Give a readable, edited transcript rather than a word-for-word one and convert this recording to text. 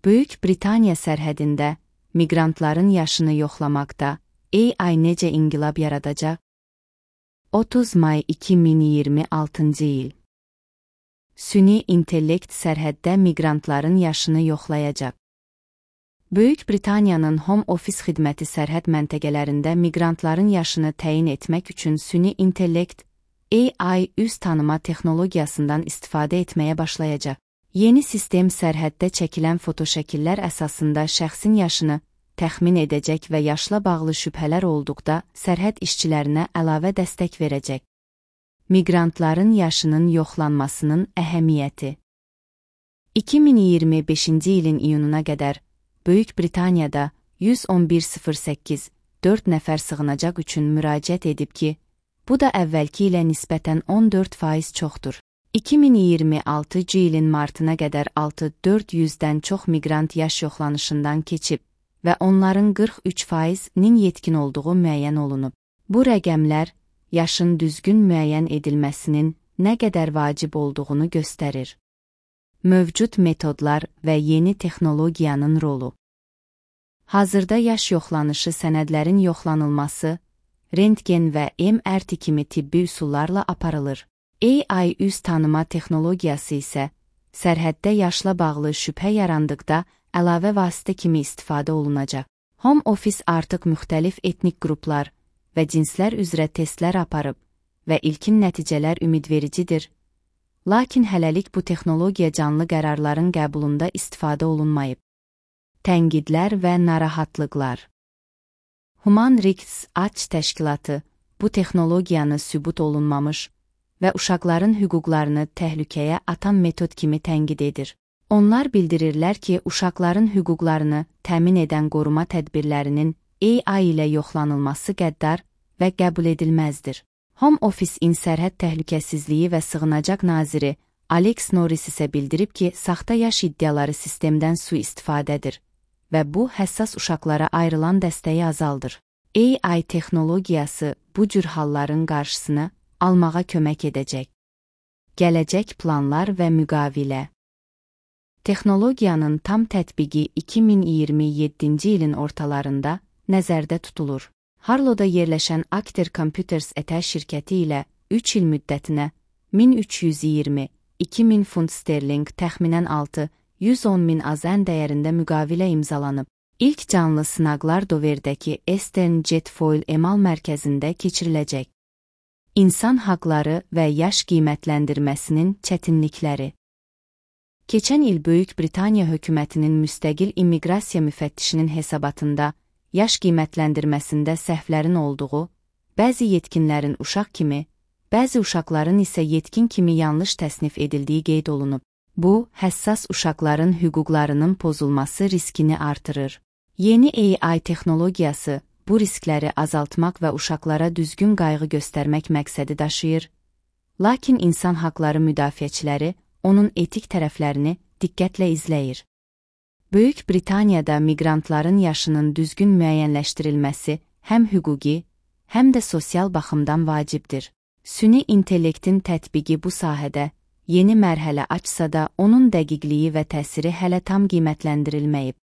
Böyük Britaniya sərhədində miqrantların yaşını yoxlamaqda AI necə inqilab yaradacaq? 30 may 2026-cı il. Süni intellekt sərhəddə miqrantların yaşını yoxlayacaq. Böyük Britaniyanın Home Office xidməti sərhəd məntəqələrində miqrantların yaşını təyin etmək üçün süni intellekt AI üz tanıma texnologiyasından istifadə etməyə başlayacaq. Yeni sistem sərhəddə çəkilən fotoşəkillər əsasında şəxsin yaşını təxmin edəcək və yaşla bağlı şübhələr olduqda sərhəd işçilərinə əlavə dəstək verəcək. Miqrantların yaşının yoxlanmasının əhəmiyyəti. 2025-ci ilin iyununa qədər Böyük Britaniyada 111.08 4 nəfər sığınacaq üçün müraciət edib ki, bu da əvvəlki ilə nisbətən 14% çoxdur. 2026-cı ilin martına qədər 6.400-dən çox miqrant yaş yoxlanışından keçib və onların 43%-nin yetkin olduğu müəyyən olunub. Bu rəqəmlər yaşın düzgün müəyyən edilməsinin nə qədər vacib olduğunu göstərir. Mövcud metodlar və yeni texnologiyanın rolu. Hazırda yaş yoxlanışı sənədlərin yoxlanılması, rentgen və MRT kimi tibbi üsullarla aparılır. AI üz tanıma texnologiyası isə sərhəddə yaşla bağlı şübhə yarandıqda əlavə vasitə kimi istifadə olunacaq. Home Office artıq müxtəlif etnik qruplar və cinslər üzrə testlər aparıb və ilkin nəticələr ümidvericidir. Lakin hələlik bu texnologiya canlı qərarların qəbulunda istifadə olunmayıb. Tənqidlər və narahatlıqlar. Human Rights Watch təşkilatı bu texnologiyanı sübut olunmamış və uşaqların hüquqlarını təhlükəyə atan metod kimi tənqid edir. Onlar bildirirlər ki, uşaqların hüquqlarını təmin edən qoruma tədbirlərinin AI ilə yoxlanılması qəddar və qəbul edilməzdir. Home Office-in sərhəd təhlükəsizliyi və sığınacaq naziri Alex Norris isə bildirib ki, saxta yaş iddiaları sistemdən sui-istifadədir və bu, həssas uşaqlara ayrılan dəstəyi azaldır. AI texnologiyası bu cür halların qarşısını almağa kömək edəcək. Gələcək planlar və müqavilə. Texnologiyanın tam tətbiqi 2027-ci ilin ortalarında nəzərdə tutulur. Harlowda yerləşən Acter Computers ET şirkəti ilə 3 il müddətinə 1320-2000 funt sterling təxminən 6-110.000 AZN dəyərində müqavilə imzalanıb. İlk canlı sınaqlar Doverdəki Eastern Jetfoil emal mərkəzində keçiriləcək. İnsan haqları və yaş qiymətləndirməsinin çətinlikləri. Keçən il Böyük Britaniya hökumətinin müstəqil immiqrasiya müfəttişinin hesabatında yaş qiymətləndirməsində səhvlərin olduğu, bəzi yetkinlərin uşaq kimi, bəzi uşaqların isə yetkin kimi yanlış təsnif edildiyi qeyd olunub. Bu, həssas uşaqların hüquqlarının pozulması riskini artırır. Yeni AI texnologiyası bu riskləri azaltmaq və uşaqlara düzgün qayğı göstərmək məqsədi daşıyır. Lakin insan haqları müdafiəçiləri onun etik tərəflərini diqqətlə izləyir. Böyük Britaniyada miqrantların yaşının düzgün müəyyənləşdirilməsi həm hüquqi, həm də sosial baxımdan vacibdir. Süni intellektin tətbiqi bu sahədə yeni mərhələ açsa da onun dəqiqliyi və təsiri hələ tam qiymətləndirilməyib.